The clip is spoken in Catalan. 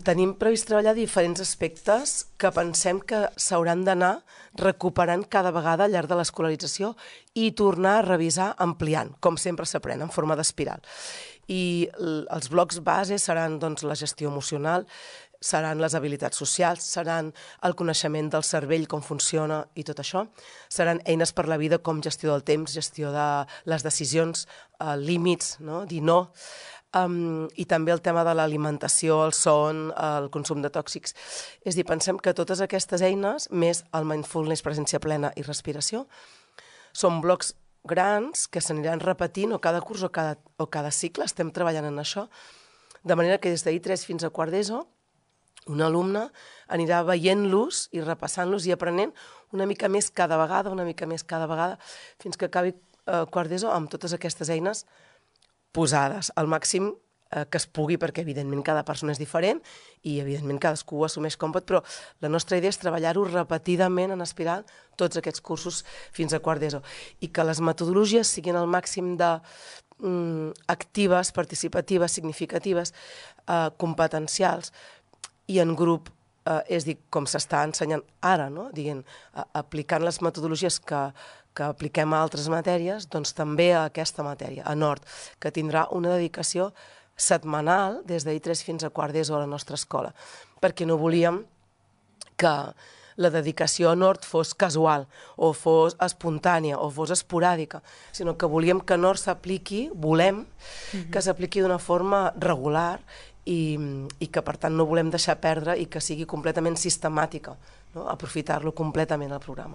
Tenim previst treballar diferents aspectes que pensem que s'hauran d'anar recuperant cada vegada al llarg de l'escolarització i tornar a revisar ampliant, com sempre s'aprèn, en forma d'espiral. I els blocs base seran la gestió emocional, seran les habilitats socials, seran el coneixement del cervell, com funciona i tot això, seran eines per la vida com gestió del temps, gestió de les decisions, límits, dir no, i també el tema de l'alimentació, el son, el consum de tòxics. És a dir, pensem que totes aquestes eines, més el mindfulness, presència plena i respiració, són blocs grans que s'aniran repetint o cada curs o cada cicle, estem treballant en això, de manera que des d'I3 fins a quart d'ESO, un alumne anirà veient-los i repassant-los i aprenent una mica més cada vegada, fins que acabi quart d'ESO amb totes aquestes eines posades al màxim que es pugui, perquè evidentment cada persona és diferent i evidentment cadascú ho assumeix com pot, però la nostra idea és treballar-ho repetidament en espiral tots aquests cursos fins a quart d'ESO i que les metodologies siguin al màxim de actives, participatives, significatives, competencials i en grup, és a dir, com s'està ensenyant ara, aplicant les metodologies que apliquem a altres matèries, doncs també a aquesta matèria, a Nord, que tindrà una dedicació setmanal des d'I3 fins a quart d'ESO a la nostra escola, perquè no volíem que la dedicació a Nord fos casual o fos espontània o fos esporàdica, sinó que volíem que Nord s'apliqui, volem que s'apliqui d'una forma regular i que per tant no volem deixar perdre i que sigui completament sistemàtica, aprofitar-lo completament al programa.